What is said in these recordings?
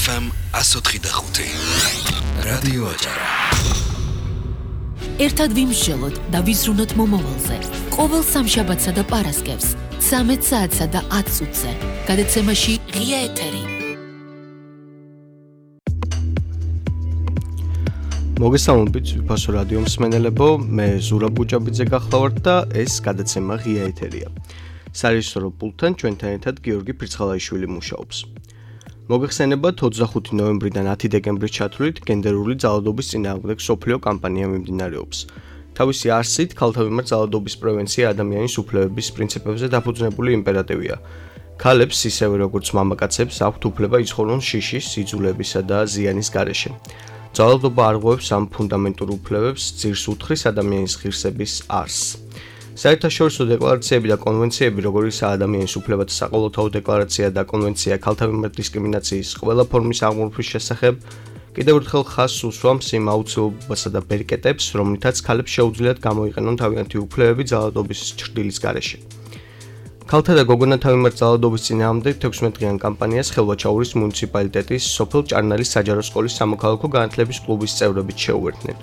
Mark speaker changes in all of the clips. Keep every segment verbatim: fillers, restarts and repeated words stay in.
Speaker 1: ეფ ემ one oh five რადიო აჭარა.
Speaker 2: ერთად ვიმსჯელოთ და ვიზრუნოთ მომავალზე. ყოველ სამშაბათსა და პარასკევს, ცამეტ საათსა და ათ წუთზე. გადაცემაში ღია ეთერი.
Speaker 3: მოგესალმებით, ვიფასო რადიო მსმენელებო, მე ზურაბ ბუჭაბიძე გახლავართ და ეს გადაცემა ღია ეთერია. სარეჟისორო პულტთან ჩვენთან ერთად გიორგი ფირცხალაიშვილი მუშაობს. მოგეხსენებათ ოცდახუთი ნოემბრიდან ათი დეკემბრის ჩათვლით გენდერული ძალადობის წინააღმდეგ სოფლიო კამპანია მიმდინარეობს. თავისი არსით ქალთა მიმართ ძალადობის პრევენცია ადამიანის უფლებების პრინციპებზე დაფუძნებული იმპერატივია. ქალებს, ისევე როგორც მამაკაცებს, აქვთ უფლება იცხოვრონ შიშის, სიძულებისა და ზიანის გარეშე. ძალადობა არღვევს ამ ფუნდამენტურ უფლებებს, ძირს უთხრის ადამიანის ღირსების არსს. საერთაშორისო დეკლარაციები და კონვენციები, როგორიცაა ადამიანის უფლებათა საყოველთაო დეკლარაცია და კონვენცია ქალთა მიმართ დისკრიმინაციის ყველა ფორმის აღმოფხვის შესახებ, კიდევ ერთხელ ხაზს უსვამს იმ აუცილებლობასა და ბერკეტებს, რომლითაც ქალებს შეუძლიათ გამოიყენონ თავიანთი უფლებები ძალადობის ჩრდილის გარეშე. ქალთა და გოგონათა მიმართ ძალადობის წინააღმდეგ თექვსმეტდღიან კამპანიას ხელვაჩაურის მუნიციპალიტეტის სოფელ ჭარნალის საჯარო სკოლის სამოქალაქო განათლების კლუბის წევრები შეუერთდნენ.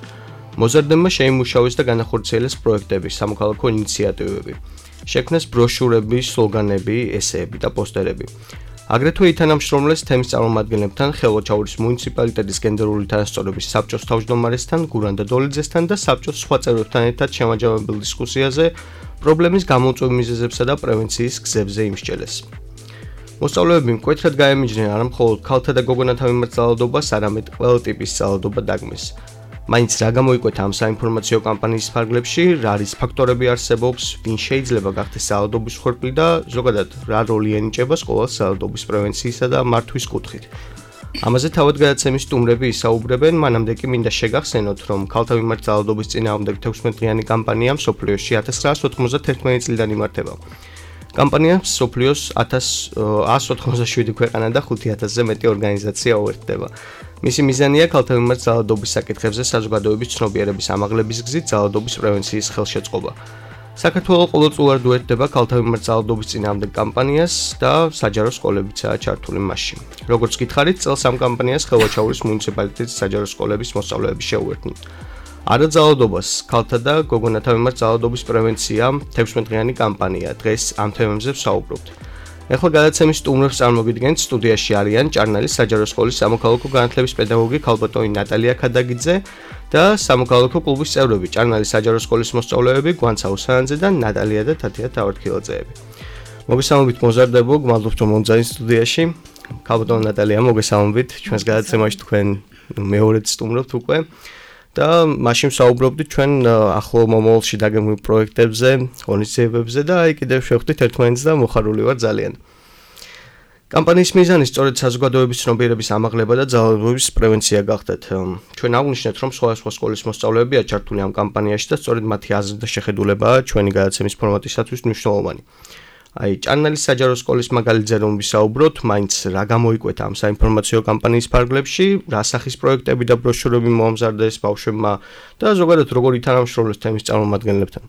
Speaker 3: მოზარდებმა შეიმუშავეს და განახორციელეს პროექტები, სამოქალაქო ინიციატივები. შექმნეს ბროშურები, სლოგანები, ესეები და პოსტერები. აგრეთვე ითანამშრომლეს თემის წარმომადგენლებთან, ხელვაჩაურის მუნიციპალიტეტის გენდერული თანასწორობის საბჭოს თავმჯდომარესთან, გურან დოდოლიძესთან და საბჭოს სხვა წევრებთან ერთად შემაჯამებელ დისკუსიაზე პრობლემის გამოწვევ მიზეზებსა და პრევენციის გზებზე იმსჯელეს. მოსწავლეები მკვეთრად გაემიჯნენ არა მხოლოდ ქალთა და გოგონათა მიმართ ძალადობას, არამედ ყველა ტიპის ძალადობა დაგმეს. მაინც რა გამოიკვეთა ამ საინფორმაციო კამპანიის ფარგლებში, რა არის ფაქტორები არსებობს, ვინ შეიძლება გახდეს ძალადობის მსხვერპლი და ზოგადად რა როლი ენიჭება სკოლას ძალადობის პრევენციისა და მართვის კუთხით. ამაზე თავად გადაცემის სტუმრები ისაუბრებენ, მანამდე კი მინდა შეგახსენოთ, რომ ქალთა მიმართ ძალადობის წინააღმდეგ თექვსმეტდღიანი კამპანია მსოფლიოში ათას ცხრაას ოთხმოცდათერთმეტი წლიდან იმართება. კამპანიას მსოფლიოს ათას ათს ოთხმოცდაშვიდი ქვეყანა და ხუთი ათასზე მეტი ორგანიზაცია უერთდება. მისი მიზანია ქალთა მიმართ ძალადობის საკითხებზე საზოგადოების ცნობიერების ამაღლების გზით ძალადობის პრევენციის ხელშეწყობა. საქართველოს ყოველწლიურად უერთდება ქალთა მიმართ ძალადობის წინააღმდეგ კამპანიას და საჯარო სკოლებიცაა ჩართული მასში. როგორც გითხარით, წელს ამ კამპანიას ხელვაჩაურის მუნიციპალიტეტის საჯარო სკოლების მოსწავლეები შეუერთდნენ. არა ძალადობას, ქალთა და გოგონათა მიმართ ძალადობის პრევენცია, თექვსმეტდღიანი კამპანია. დღეს ამ თემებზე ვსაუბრობთ. ეხლა გადაცემის სტუმრებს წარმოგიდგენთ, სტუდიაში არიან ჭარნალის საჯარო სკოლის სამოქალაქო განათლების პედაგოგი ქალბატონი ნატალია ქადაგიძე და სამოქალაქო კლუბის წევრები, ჭარნალის საჯარო სკოლის მოსწავლეები გვანცა უსანაძე და ნატალია და თათია თავარქილაძეები. მოგესალმებით მოზარდებო, გმადლობთ რომ მომძანით სტუდიაში. ქალბატონი ნატალია, მოგესალმებით, ჩვენს გადაცემაში თქვენ მეორედ სტუმრობთ უკვე. და მაშინ ვსაუბრობდით ჩვენ ახლო მომავალში დაგემულ პროექტებზე, ღონისძიებებზე და აი კიდევ შევხვდით ერთმანეთს და მოხარული ვარ ძალიან. კამპანიის მიზანი სწორედ საზოგადოების ცნობიერების ამაღლება და ძალადობის პრევენცია გახდათ. ჩვენ აღვნიშნეთ, რომ სხვადასხვა სკოლის მოსწავლეებია ჩართული ამ კამპანიაში და სწორედ მათი აზრი და შეხედულებაა ჩვენი გადაცემის ფორმატისათვის მნიშვნელოვანი. აი, ჭარნალის საჯარო სკოლის მაგალითზე რომ ვისაუბროთ, მაინც რა გამოიკვეთა ამ საინფორმაციო კამპანიის ფარგლებში, რა სახის პროექტები და ბროშურები მოამზადეს ბავშვებმა და ზოგადად როგორი თანამშრომლობთ თემის წარმომადგენლებთან.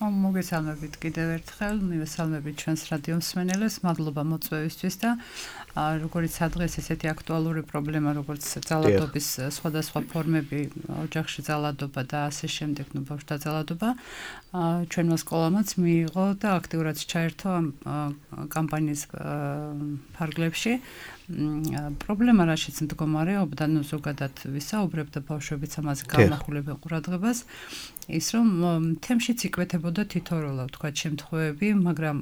Speaker 4: მოგესალმებით კიდევ ერთხელ, მივესალმებით ჩვენს რადიო მსმენელებს, მადლობა მოწვევისთვის და როგორც დღეს ესეთი აქტუალური პრობლემა, როგორც ძალადობის სხვადასხვა ფორმები, ოჯახში ძალადობა და ასე შემდეგ, ნუ ბავშვთა ძალადობა, ჩვენმა სკოლამაც მიიღო და აქტიურად ჩაერთო ამ კამპანიის ფარგლებში. პრობლემა რაშიც მდგომარეობდა, ნუ ზოგადად ვისაუბრებთ და ბავშვებიც ამაზე განახულებენ ყურადღებას, ის რომ თემშიც იკვეთებოდა თითოეულა ვთქვათ შემთხვევები, მაგრამ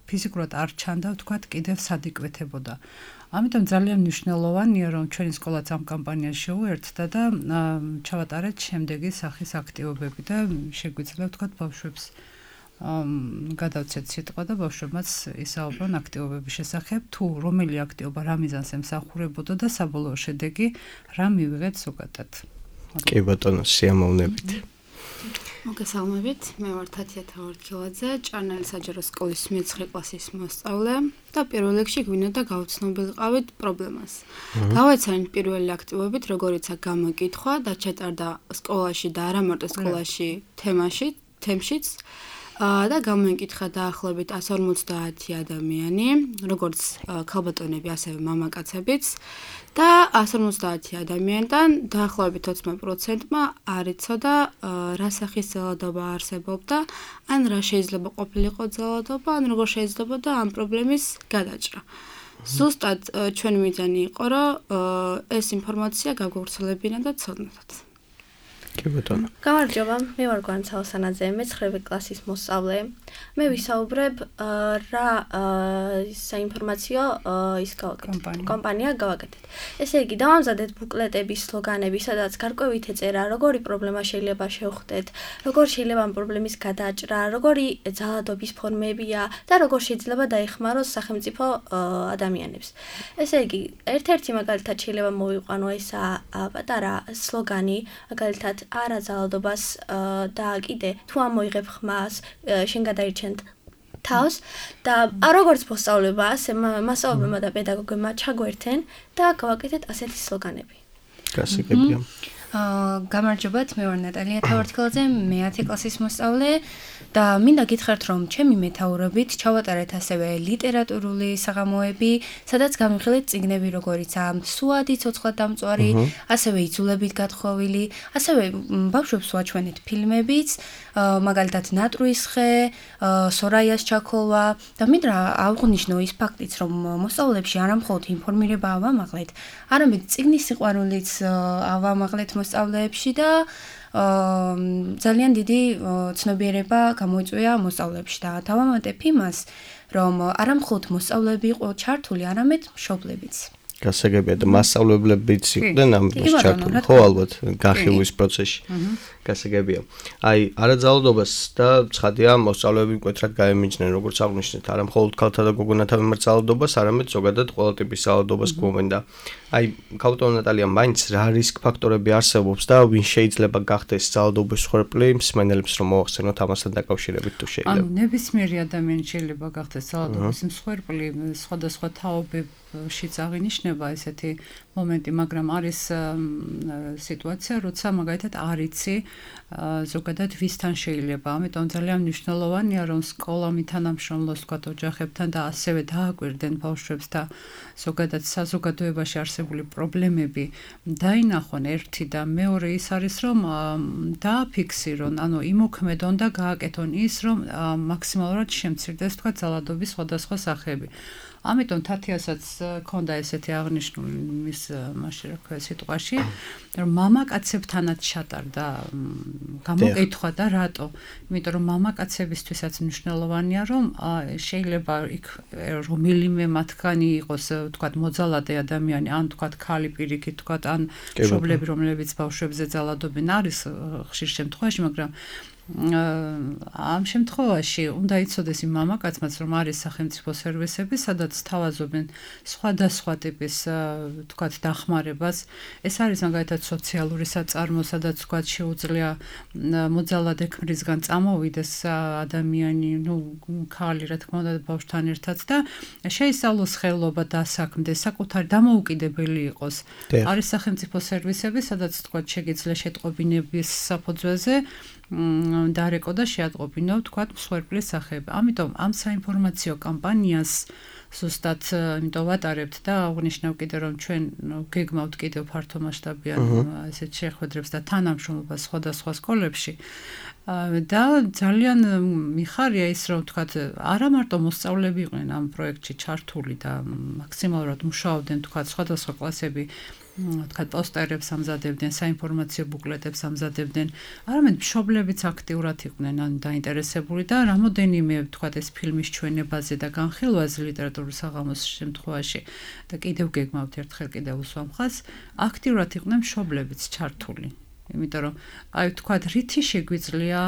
Speaker 4: ფიზიკურად არ ჩანდა ვთქვათ კიდევ სად იკვეთებოდა. ამიტომ ძალიან მნიშვნელოვანია რომ ჩვენი სკოლაც ამ კამპანიას შეუერთდა და ჩავატარეთ შემდეგი სახის აქტივობები და შეგვიძლია ვთქვათ ბავშვებს გადავცეთ სიტყვა და ბავშვებმაც ისაუბრონ აქტივობების შესახებ, თუ რომელი აქტივობა რა მიზანს ემსახურებოდა და საბოლოო შედეგი რა მივიღეთ ზოგადად.
Speaker 3: კი ბატონო, სიამოვნებით.
Speaker 5: მოგესალმებით, მე ვარ თათია თავარქილაძე, ჭარნალის საჯარო სკოლის მეცხრე კლასის მოსწავლე და პირველ რიგში გვინდა გავუცნობილიყავით პრობლემას. გავეცანით პირველი აქტივობით, როგორიცაა გამოკითხვა და ჩატარდა სკოლაში და არა მარტო სკოლაში თემაში, თემშიც და გამოიკითხა დაახლოებით εκατს ორმოცდაათი ადამიანი, როგორც ქალბატონები, ასევე მამაკაცებიც და εκατს ორმოცდაათი ადამიანიდან დაახლოებით ოცდაოთხ პროცენტმა არ იცოდა რა სახის ძალადობა არსებობდა, ან რა შეიძლება ყოფილიყო ძალადობა, ან როგორ შეიძლებოდა ამ პრობლემის გადაჭრა. Ზუსტად ჩვენი მიზანი იყო, რომ ეს ინფორმაცია გაგვავრცელებინა და ცოდნათ.
Speaker 3: კი ბატონო.
Speaker 6: გამარჯობა, მე ვარ გვანცაო სანაძე, მეცხრე კლასის მოსწავლე. მე ვისაუბრებ რა საინფორმაციო ის გავაკეთეთ. კომპანია გავაკეთეთ. ესე იგი, დავამზადეთ ბუკლეტები, სლოგანები, სადაც გარკვევით ეწერა, როგორი პრობლემა შეიძლება შევხვდეთ, როგორ შეიძლება ამ პრობლემის გადაჭრა, როგორი ძალადობის ფორმებია და როგორ შეიძლება დაეხმაროს სახელმწიფო ადამიანებს. ესე იგი, ერთ-ერთი მაგალითად შეიძლება მოვიყვანო ესა პატარა სლოგანი, მაგალითად არა ძალადობას და კიდე თუ ამოიღებ ხმას, შენ გადაირჩენთ თავს და როგორც მოსწავლეობა, ასე მასწავლებელმა და პედაგოგებმა ჩაგვერთენ და გავაკეთეთ ასეთი სლოგანები.
Speaker 3: გასაგებია.
Speaker 7: აა გამარჯობათ, მე ვარ ნატალია თავართქელაძე, მე ათი კლასის მოსწავლე და მინდა გითხრათ, რომ ჩემი მეთაურობით ჩავატარეთ ასევე ლიტერატურული საღამოები, სადაც გამიხილეთ წიგნები, როგორიცაა სუადი, ცოცხლად დამწვარი, ასევე იძულებით გათხოვილი, ასევე ბავშვებს ვაჩვენეთ ფილმებიც, მაგალითად ნატრუის ხე, სორაიას ჩაქოლვა და მინდა აღვნიშნო ის ფაქტიც, რომ მოსწავლეებში არა მხოლოდ ინფორმირება ავამაღლეთ, არამედ წიგნის სიყვარულიც ავამაღლეთ მოსწავლეებში და ძალიან დიდი ცნობიერება გამოიწვია მოსწავლეებში და დავამატებ იმას, რომ არა მხოლოდ მოსწავლეები იყო ჩართული, არამედ მშობლებიც.
Speaker 3: გასაგებია და მასწავლებლებიც იყვნენ ამ ჩართული, ხო ალბათ განხილვის პროცესში. გასაგებია. აი, არაძალადობას და ცხადია მოსწავლეები მკვეთრად გაემიჯნენ, როგორც აღნიშნეთ, არა მხოლოდ ქალთა და გოგონათა მიმართ ძალადობას, არამედ ზოგადად ყველა ტიპის ძალადობას გვუმენ და აი, ქალბატონო ნატალია, მაინც რა რისკ ფაქტორები არსებობს და ვინ შეიძლება გახდეს ძალადობის მსხვერპლი, მსმენელებს რომ მოახსენოთ ამასთან დაკავშირებით თუ შეიძლება.
Speaker 4: ანუ ნებისმიერი ადამიანი შეიძლება გახდეს ძალადობის მსხვერპლი, სხვადასხვა თაობებშიც აღინიშნება ესეთი მომენტი, მაგრამ არის სიტუაცია, როცა მაგალითად არ იცი ზოგადად ვისთან შეიძლება. ამიტომ ძალიან მნიშვნელოვანია, რომ სკოლამ თანამშრომლოს თქვათ ოჯახებთან და ასევე დააკვირდენ ბავშვებს და ზოგადად საზოგადოებაში არსებული პრობლემები დაინახონ ერთი და მეორე ის არის, რომ დააფიქსირონ, ანუ იმოქმედონ და გააკეთონ ის, რომ მაქსიმალურად შემცირდეს თქვათ ძალადობის სხვადასხვა სახეები. ამიტომ თათიასაც ქონდა ესეთი აღნიშნული მის მაშინ რა ქვია სიტყვაში, რომ მამაკაცებთანაც ჩატარდა გამოკითხვა და რატო? იმიტომ რომ მამაკაცებისთვისაც მნიშვნელოვანია, რომ შეიძლება იქ რომელიმე მათგანი იყოს, თქვათ, მოძალადე ადამიანი, ან თქვათ, ქალი პირიქით, თქვათ, ან მშობლები, რომლებიც ბავშვებზე ძალადობენ, არის ხშირ შემთხვევაში, მაგრამ ამ შემთხვევაში უნდა იცოდეს იმ მამაკაცმაც, რომ არის სახელმწიფო სერვისები, სადაც თავაზობენ სხვადასხვა ტიპის თქვათ დახმარებას. ეს არის მაგალითად სოციალური საწარმო, სადაც თქვათ შეუძლია მოძალადე ქმრისგან წამოვიდეს ადამიანი, ну, ქალი, რა თქმა უნდა, ბავშვთან ერთად და შეისწავლოს ხელობა, დასაქმდეს, საკუთარი დამოუკიდებელი იყოს. არის სახელმწიფო სერვისები, სადაც თქვათ შეგიძლია შეტყობინების საფუძველზე დარეკო და შეატყობინო, თქვათ, მსხვერპლის სახეები. ამიტომ ამ საინფორმაციო კამპანიას ზუსტად იმიტომ ვატარებთ და აღნიშნავ კიდე, რომ ჩვენ გეგმავთ კიდევ ფართომასშტაბიან ესეთ შეხვედრებს და თანამშრომლობას სხვადასხვა სკოლებში. და ძალიან მიხარია ის, რომ თქვათ, არა მარტო მოსწავლეები იყვნენ ამ პროექტში ჩართული და მაქსიმალურად მუშაობდნენ, თქვათ, სხვადასხვა კლასები თქვათ პოსტერებს ამზადებდნენ, საინფორმაციო ბუკლეტებს ამზადებდნენ, არამედ მშობლებიც აქტიურად იყვნენ ან დაინტერესებული და რამოდენიმე თქვათ ეს ფილმის ჩვენებაზე და განხილვაზე ლიტერატურულ საღამოს შემთხვევაში და კიდევ გეგმავთ ერთხელ კიდევ უსვამ ხაზს, აქტიურად იყვნენ მშობლებიც ჩართული. იმიტომ რომ აი თქვათ რითი შეგვიძლია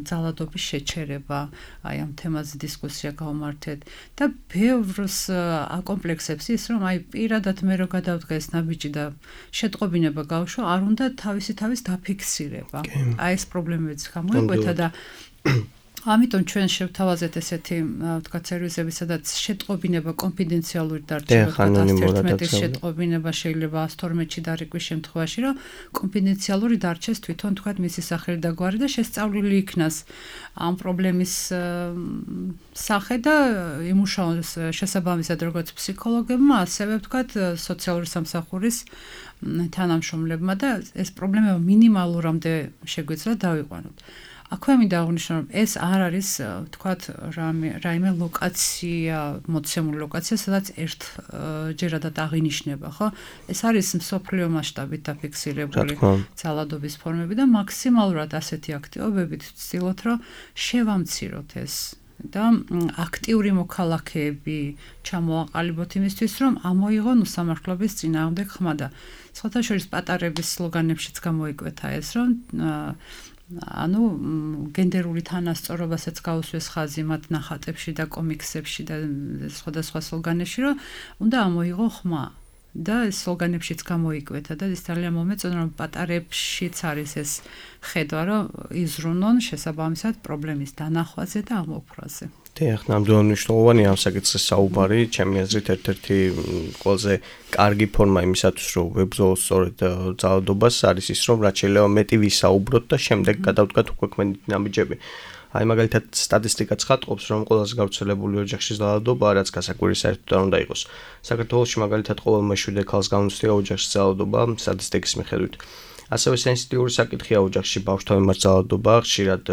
Speaker 4: ძალადობის შეჩერება, აი ამ თემაზე დისკუსია გავმართეთ და ბევრს აკომპლექსებს ის, რომ აი პირადად მე რო გადავდგეს ნაბიჯი და შეტყობინება გავშვა, არ უნდა თავისი თავის დაფიქსირება. აი ეს პრობლემებიც გამოიკვეთა და ამიტომ ჩვენ შევთავაზეთ ესეთი ვთქვათ სერვისები, სადაც შეტყობინება კონფიდენციალური დარჩება, ერთმანეთის შეტყობინება შეიძლება ას თორმეტში დარეკვის შემთხვევაში, რომ კონფიდენციალური დარჩეს თვითონ ვთქვათ მისი სახელი და გვარი და შესწავლილი იქნას ამ პრობლემის სახე და იმუშაოს შესაბამისად როგორც ფსიქოლოგებმა, ასევე ვთქვათ სოციალური სამსახურის თანამშრომლებმა და ეს პრობლემა მინიმალურამდე შეგვეძლო დავიყვანოთ. აქვე მინდა აღვნიშნო, რომ ეს არ არის, ვთქვათ, რაიმე ლოკაცია, მოცემული ლოკაცია, სადაც ერთჯერადად აღინიშნება, ხო? ეს არის მსოფლიო მასშტაბით დაფიქსირებული ძალადობის ფორმები და მაქსიმალურად ასეთი აქტივობებით ვცდილობთ, რომ შევამციროთ ეს და აქტიური მოქალაქეები ჩამოაყალიბოთ იმისთვის, რომ ამოიღონ უსამართლობის წინააღმდეგ ხმა და სხვათა შორის პატარების სლოგანებშიც გამოიკვეთა ეს, რომ ანუ გენდერული თანასწორობასაც გაუსვეს ხაზი მათ ნახატებში და კომიქსებში და სხვადასხვა სლოგანებში, რომ უნდა ამოიღო ხმა და ეს სლოგანებშიც გამოიკვეთა და ის ძალიან მომეწონა, რომ პატარებშიც არის ეს ხედვა, რომ იზრუნონ შესაბამისად პრობლემის დანახვაზე და ამოფრაზე.
Speaker 3: დიახ, ნამდვილად მნიშვნელოვანია ამ საკითხზე საუბარი, ჩემი აზრით ერთ-ერთი ყველაზე კარგი ფორმა იმისათვის, რომ ვებრძოლოთ სწორედ ძალადობას არის ის, რომ რაც შეიძლება მეტი ვისაუბროთ და შემდეგ გადავდგათ უკვე ქმედით ნაბიჯები. აი მაგალითად სტატისტიკაც ხატყობს, რომ ყველაზე გავრცელებული ოჯახში ძალადობა, რაც გასაკვირი საერთოდ არ უნდა იყოს. საქართველოში მაგალითად ყოველ მეშვიდე ქალს გამოცდია ოჯახში ძალადობა სტატისტიკის მიხედვით. ასევე სენსიტიური საკითხია ოჯახში ბავშვთა მიმართ ძალადობა, ხშირად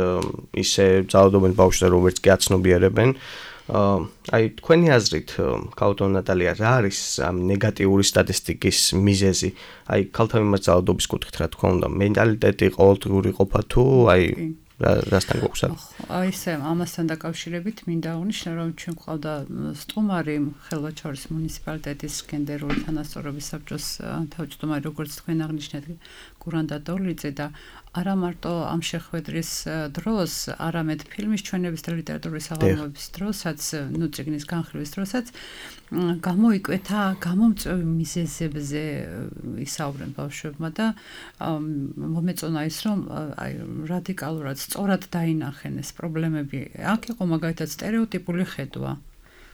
Speaker 3: ისე ძალადობენ ბავშვზე, რომელიც კი აცნობიერებენ. აი თქვენი აზრით, ქალბატონო ნატალია, რა არის ამ ნეგატიური სტატისტიკის მიზეზი? აი ქალთა მიმართ ძალადობის კუთხით რა თქმა უნდა, მენტალიტეტი, ყოველდღიური ყოფა თუ აი რასთან გვაქვს?
Speaker 4: აი ესე ამასთან დაკავშირებით მინდა აღვნიშნო, რომ ჩვენ გვყავდა სტუმარი ხელვაჩაურის მუნიციპალიტეტის გენდერული თანასწორობის საბჭოს თავმჯდომარე, როგორც თქვენ აღნიშნეთ, გურანდა დოლიძე და არა მარტო ამ შეხვედრის დროს, არამედ ფილმის ჩვენების და ლიტერატურის აღამოების დროსაც, ნუ წიგნის განხილვის დროსაც გამოიკვეთა გამომწვევი მიზეზებზე ისაუბრენ ბავშვებმა და მომეწონა ის, რომ აი რადიკალურად სწორად დაინახენ ეს პრობლემები. აქ იყო მაგალითად სტერეოტიპული ხედვა.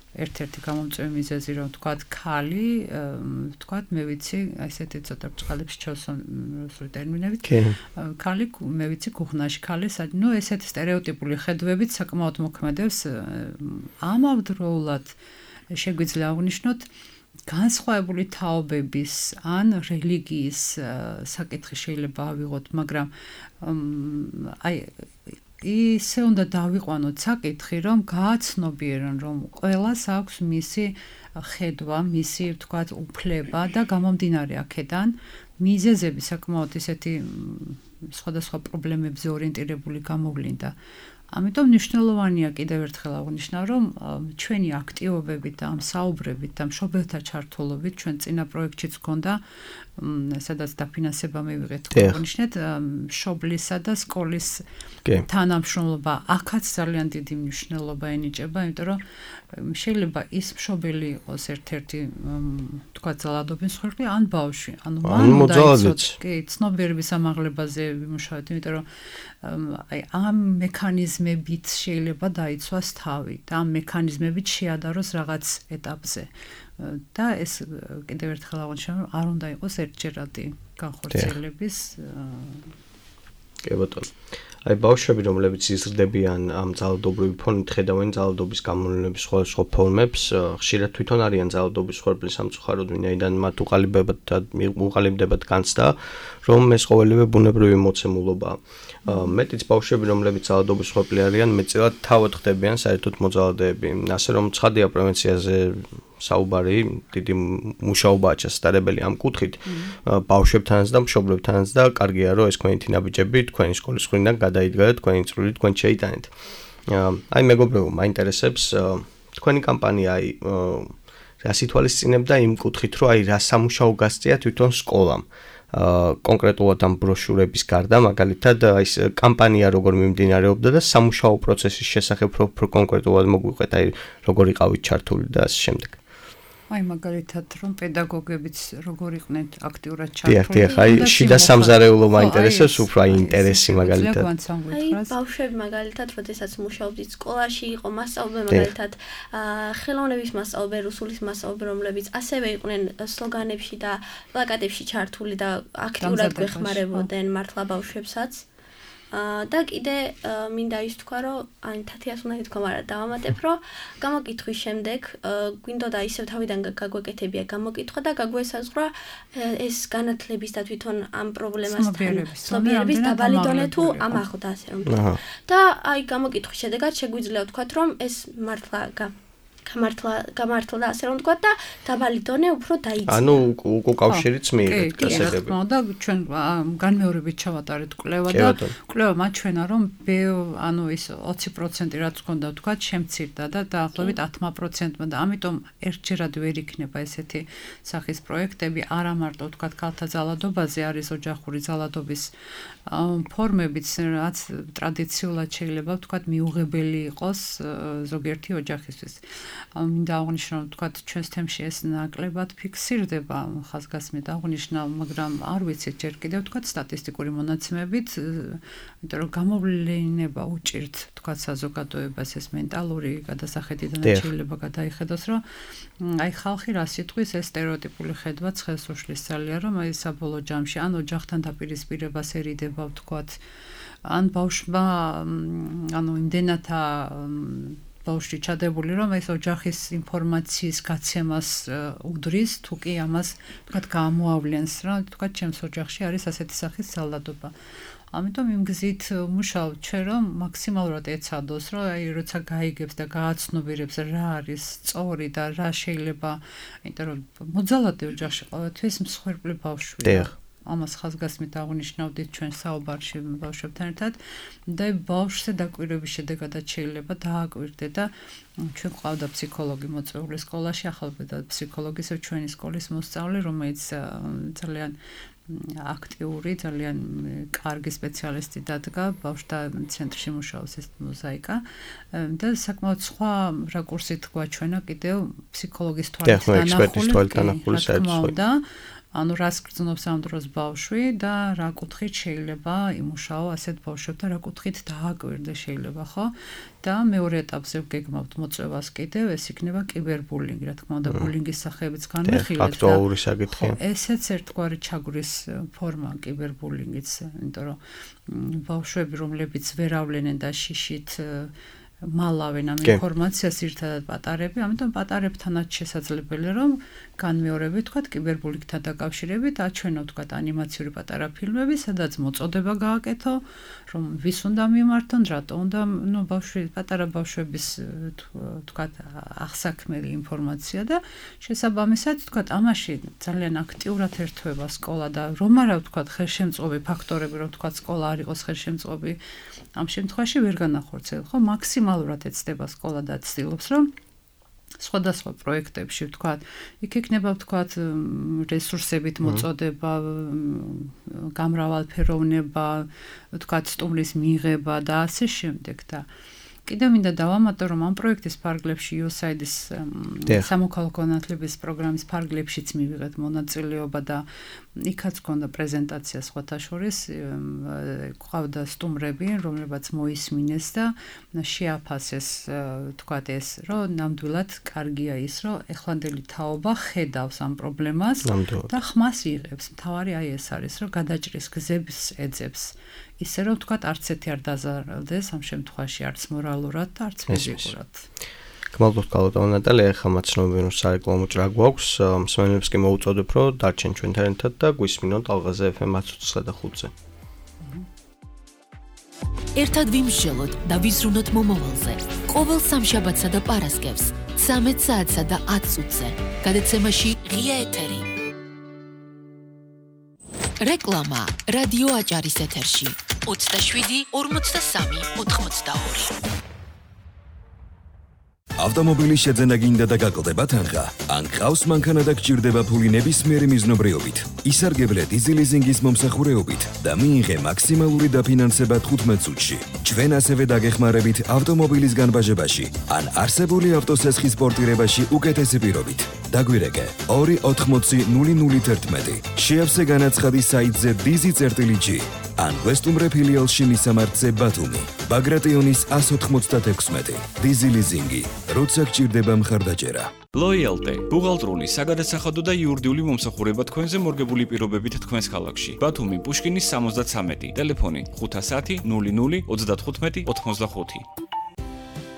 Speaker 4: ერთ-ერთი გამომწვევი მიზეზი, რომ თქვათ ქალი, თქვათ მე ვიცი, აი ესეთი ცოტა ბჭყალებს ჩავსვან რუსული ტერმინებით. ქალი, მე ვიცი, ქუხნაში ქალი, ну ესეთი სტერეოტიპული ხედვებით საკმაოდ მოქმედებს ამავდროულად შეგვიძლია აღვნიშნოთ განსხვავებული თაობების ან რელიგიის საკითხი შეიძლება ავიღოთ, მაგრამ აი ისე უნდა დავიყვანოთ საკითხი, რომ გააცნობიერონ, რომ ყველას აქვს მისი ხედვა, მისი, ვთქვათ, უფლება და გამომდინარე აქედან მიზეზები საკმაოდ ისეთი სხვადასხვა პრობლემებზე ორიენტირებული გამოვლინდა. ამიტომ მნიშვნელოვანია კიდევ ერთხელ აღვნიშნავ, რომ ჩვენი აქტივობებით და ამ საუბრებით და მშობელთა ჩართულობით ჩვენ წინა პროექტშიც გქონდა, სადაც დაფინანსება მივიღეთ, აღვნიშნეთ, მშობლისა და სკოლის თანამშრომლობა. აქაც ძალიან დიდი მნიშვნელობა ენიჭება, იმიტომ რომ შეიძლება ის მშობელი იყოს ერთ-ერთი თქვა ძალადობის მსხვერპლი ან ბავშვი, ანუ მან უნდა იცოდეთ, კი, ცნობიერების ამაღლებაზე ვიმუშავეთ, იმიტომ რომ აი ამ მექანიზმებით შეიძლება დაიცვას თავი და ამ მექანიზმებით შეადაროს რაღაც ეტაპზე. და ეს კიდევ ერთხელ აღვნიშნავ, არ უნდა იყოს ერთჯერადი განხორციელების. კი ბატონო. აი ბავშვები, რომლებიც იზრდებიან ამ ძალადობრივი ფონით, ხედავენ ძალადობის გამოვლენების სხვადასხვა ფორმებს, ხშირად თვითონ არიან ძალადობის მსხვერპლის სამწუხაროდ, ვინაიდან მათ უყალიბდებათ განცდა, რომ ეს ყოველივე ბუნებრივი მოცემულობაა. მეტიც ბავშვები, რომლებიც ძალადობის მსხვერპლი არიან, მეტწილად თავად ხდებიან საერთოდ მოძალადეები. ასე რომ ცხადია პრევენციაზე საუბარი, დიდი მუშაობაა ჩასატარებელი ამ კუთხით, ბავშვებთანაც და მშობლებთანაც და კარგია, რომ ეს თქვენი ნაბიჯები თქვენი სკოლის მხრიდან გადაიდგა და თქვენი წვლილი თქვენ შეიტანეთ. აი მეგობრებო, მაინტერესებს თქვენი კამპანია, აი რას ითვალისწინებდა იმ კუთხით, რომ აი რა სამუშაო გასწია თვითონ სკოლამ. კონკრეტულად ამ ბროშურების გარდა, მაგალითად, ის კამპანია როგორ მიმდინარეობდა და სამუშაო პროცესის შესახებ უფრო კონკრეტულად მოგვიყვეთ, აი როგორ იყავით ჩართული და ასე შემდეგ. აი მაგალითად რომ პედაგოგებიც როგორ იყვნენ აქტიურად ჩართული.
Speaker 3: დიახ, დიახ, აი შიდა სამზარეულო მაინტერესებს უფრო აი ინტერესი მაგალითად.
Speaker 6: აი ბავშვები მაგალითად, როდესაც მუშაობდით სკოლაში, იყო მასწავლებელი მაგალითად, ხელოვნების მასწავლებელი, რუსულის მასწავლებელი, რომლებიც ასევე იყვნენ სლოგანებში და პლაკატებში ჩართული და აქტიურად გვეხმარებოდნენ მართლა ბავშვებსაც. და კიდე მინდა ის თქვა, რომ ან თათიას უნდა ითქვა, მაგრამ დავამატებ, რომ გამოკითხვის შემდეგ გვინდოდა ისევ თავიდან გაგვეკეთებია გამოკითხვა და გაგვესაზღვრა ეს განათლების და თვითონ ამ პრობლემასთან ცნობიერების დაბალი დონე თუ ამახოდა ასე რომ ვთქვა. და აი გამოკითხვის შედეგად შეგვიძლია ვთქვათ, რომ ეს მართლა გამართლა გამართლა ასე რომ ვთქვა და დაბალი დონე უფრო დაიწია.
Speaker 3: ანუ უკავშირიც მიიღეთ გასაგები.
Speaker 4: და ჩვენ განმეორებით ჩავატარეთ კვლევა და კვლევა მაჩვენა რომ ანუ ის ოცი პროცენტი რაც ჰქონდა ვთქვა შემცირდა და დაახლოებით ათი პროცენტმა და ამიტომ ერთჯერად ვერ იქნება ესეთი სახის პროექტები არა მარტო ვთქვა ქალთა ძალადობაზე არის ოჯახური ძალადობის ფორმებიც რაც ტრადიციულად შეიძლება ვთქვა მიუღებელი იყოს ზოგიერთი ოჯახისთვის. მინდა აღნიშნო ვთქვათ ჩვენს თემში ეს ნაკლებად ფიქსირდება ხაზგასმით აღნიშნა მაგრამ არ ვიცით ჯერ კიდევ ვთქვათ სტატისტიკური მონაცემებით იმიტომ რომ გამოვლენა უჭირთ ვთქვათ საზოგადოებას ეს მენტალური გადასახედიდან შეიძლება გადაიხედოს რომ აი ხალხი რა სიტყვის ეს სტერეოტიპული ხედვა ცხელს უშლის ძალიან რომ აი საბოლოო ჯამში ან ოჯახთან დაპირისპირებას ერიდება ვთქვათ ან ბავშვმა ანუ იმდენათა ბავშვი ჩადებული რომ ეს ოჯახის ინფორმაციის გაცემას უდრის თუ კი ამას თქვათ გამოავლენს რომ თქვათ ჩემს ოჯახში არის ასეთი სახის ძალადობა. ამიტომ იმ გზით მუშაობ ჩვენ რომ მაქსიმალურად ეცადოს რომ აი როცა გაიგებს და გააცნობიერებს რა არის სწორი და რა შეიძლება იმიტომ რომ მოძალადე ოჯახში ყოველთვის მსხვერპლი ბავშვია. ამას ხაზგასმით აღნიშნავდით ჩვენ საუბარში ბავშვებთან ერთად და ბავშვზე დაკვირვების შედეგადაც შეიძლება დააკვირდე და ჩვენ ყავდა ფსიქოლოგი მოწვეული სკოლაში ახალბედა ფსიქოლოგის ჩვენი სკოლის მოსწავლე რომელიც ძალიან აქტიური ძალიან კარგი სპეციალისტი დადგა ბავშვთა ცენტრში მუშაობს ეს მოზაიკა და საკმაოდ სხვა რაკურსით გვაჩვენა კიდევ ფსიქოლოგის თვალით დანახული საერთოდ ანუ რას გრძნობს ამ დროს ბავშვი და რა კუთხით შეიძლება იმუშაო ასეთ ბავშვებთან რა კუთხით დააკვირდე შეიძლება ხო და მეორე ეტაპზე გეგმავთ მოწვევას კიდევ ეს იქნება კიბერბულინგი რა თქმა უნდა ბულინგის სახეებიც განვიხილეთ
Speaker 3: აქტუალური საკითხია
Speaker 4: ესეც ერთგვარი ჩაგვრის ფორმა კიბერბულინგიც იმიტომ რომ ბავშვები რომლებიც ვერ ავლენენ და შიშით მალავენ ამ ინფორმაციას ერთადად პატარები, ამიტომ პატარებთანაც შესაძლებელია რომ განმეორებით თქვა კიბერბულინგთან დაკავშირებით აჩვენო თქვა ანიმაციური პატარა ფილმები, სადაც მოწოდება გააკეთო, რომ ვის უნდა მიმართონ, რატო უნდა, ну, ბავშვი, პატარა ბავშვების თქვა აღსაქმელი ინფორმაცია და შესაბამისად თქვა ამაში ძალიან აქტიურად ერთვება სკოლა და რომ არა თქვა ხელშემწყობი ფაქტორები, რომ თქვა სკოლა არ იყოს ხელშემწყობი, ამ შემთხვევაში ვერ განახორციელებ, ხო, მაქსიმალურად ეცდება სკოლა და ცდილობს, რომ სხვადასხვა პროექტებში ვთქვათ, იქ იქნება ვთქვათ რესურსებით მოწოდება, გამრავალფეროვნება, ვთქვათ სტუმრის მიღება და ასე შემდეგ და კიდევ მინდა დავამატო, რომ ამ პროექტის ფარგლებში იუ ეს აი დი-ის სამოქალაქო განათლების პროგრამის ფარგლებშიც მივიღეთ მონაწილეობა და იქაც გქონდა პრეზენტაცია სხვათა შორის, ყავდა სტუმრები, რომლებაც მოისმინეს და შეაფასეს, თქვათ ეს, რომ ნამდვილად კარგია ის, რომ ეხლანდელი თაობა ხედავს ამ პრობლემას და ხმას იღებს. მთავარი აი ეს არის, რომ გადაჭრის გზებს ეძებს. ისე რომ თქვათ არც ერთი არ დაზარალდეს ამ შემთხვევაში არც მორალურად და არც ფიზიკურად.
Speaker 3: გმადლობთ კალოთა ნატალია, ახლა მაცნობენ რომ სარეკლამო ჭრა გვაქვს, მსმენელებს კი მოუწოდებ რომ დარჩენ ჩვენთან ერთად და გვისმინონ ტალღაზე ეფ ემ ათი ოცი და ხუთზე.
Speaker 2: ერთად ვიმსჯელოთ და ვიზრუნოთ მომავალზე. ყოველ სამშაბათსა და პარასკევს, ცამეტ საათსა და ათ წუთზე. გადაცემაში ღია ეთერი. რეკლამა რადიო აჭარის ეთერში ოცდაშვიდი ორმოცდასამი ოთხმოცდაორი
Speaker 1: ავტომობილის შეძენა გინდა და გაკლდება თანხა, ან ყავს მანქანა და გჭირდება ფული ნებისმიერი მიზნობრიობით. ისარგებლე დიზელიზინგის მომსახურეობით და მიიღე მაქსიმალური დაფინანსება თხუთმეტ წუთში. ჩვენ ასევე დაგეხმარებით ავტომობილის განბაჟებაში, ან არსებული ავტოსესხის პორტირებაში უკეთესი პირობით. დაგვირეკე ორი ოთხმოცი ნული ნული თერთმეტი. შეავსე განაცხადი საიტზე დიზი წერტილი ჯი. ან გვესტუმრე ფილიალში მისამართზე ბათუმი. ბაგრატიონის ას ოთხმოცდაექვსმეტი. დიზი ლიზინგი. როცა გჭირდება მხარდაჭერა.
Speaker 8: Loyalty. ბუღალტრული, საგადასახადო და იურიდიული მომსახურება თქვენზე მორგებული პირობებით თქვენს ქალაქში. ბათუმი, პუშკინის სამოცდათსამეტი. ტელეფონი ხუთას ათი ნული ნული ოცდათხუთმეტი ოთხმოცდახუთი.